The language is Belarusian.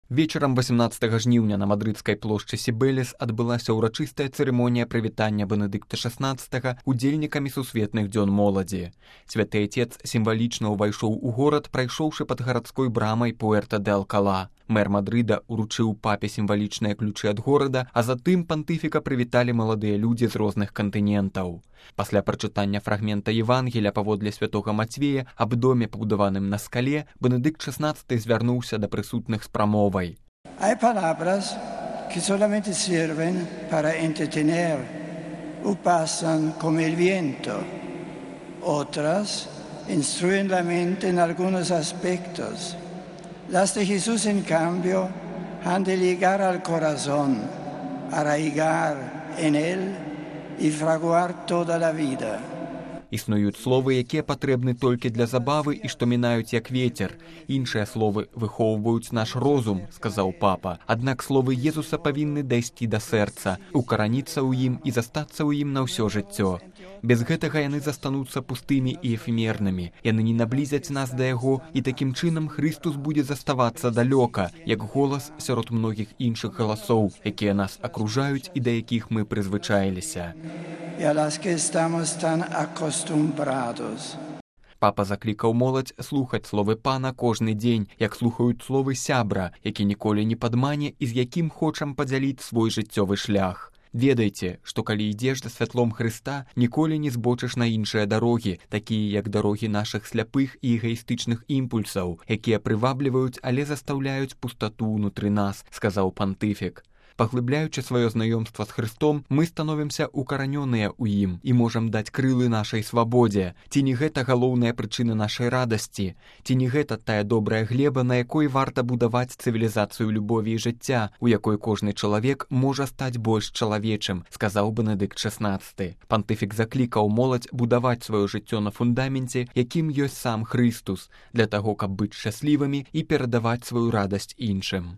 Вечарам 18 жніўня на мадрыдскай плошчы Сібелес адбылася ўрачыстая цырымонія прывітання Бенедыкта XVI удзельнікамі сусветных дзён моладзі. Святы Отец сімвалічна ўвайшоў у горад, прайшоўшы пад гарадской брамай Пуэрта-де-Алкала. Мэр Мадрыда ўручыў папе сімвалічныя ключы ад горада, а затым пантыфіка прывіталі маладыя людзі з розных кантынентаў. Пасля прачытання фрагмента Евангеля паводле святога Мацвея аб доме, пабудаваным на скале, Бенедыкт XVI звярнуўся да прысутных з прамовай. Hay palabras que solamente sirven para entretener o pasan como el viento. Otras instruyen la mente en algunos aspectos. Las de Jesús, en cambio, han de llegar al corazón, arraigar en él y fraguar toda la vida. Існуюць словы, якія патрэбны толькі для забавы і што мінаюць як вецер. Іншыя словы выхоўваюць наш розум, сказаў папа. Аднак словы Езуса павінны дайсці да сэрца, укараніцца ў ім і застацца ў ім на ўсё жыццё. Без гэтага яны застануцца пустымі і эфемернымі. Яны не наблізяць нас да яго, і такім чынам Христус будзе заставацца далёка, як голас сярод многіх іншых галасоў, якія нас акружаюць і да якіх мы прызвычаіліся. Папа заклікаў моладзь слухаць словы пана кожны дзень, як слухаюць словы сябра, які ніколі не падмане і з якім хочам падзяліць свой жыццёвы шлях. Ведайце, што калі ідзеш за святлом Хрыста, ніколі не збочыш на іншыя дарогі, такія як дарогі нашых сляпых і эгаістычных імпульсаў, якія прывабліваюць, але застаўляюць пустату ўнутры нас, сказаў пантыфік. Паглыбляючы сваё знаёмства з Хрыстом, мы становімся укаранёныя ў ім і можам даць крылы нашай свабодзе. Ці не гэта галоўная прычына нашай радасці? Ці не гэта тая добрая глеба, на якой варта будаваць цывілізацыю любові і жыцця, у якой кожны чалавек можа стаць больш чалавечым, сказаў Бенедыкт XVI. Пантыфік заклікаў моладзь будаваць сваё жыццё на фундаменце, якім ёсць сам Хрыстус, для таго, каб быць шчаслівымі і перадаваць сваю радасць іншым.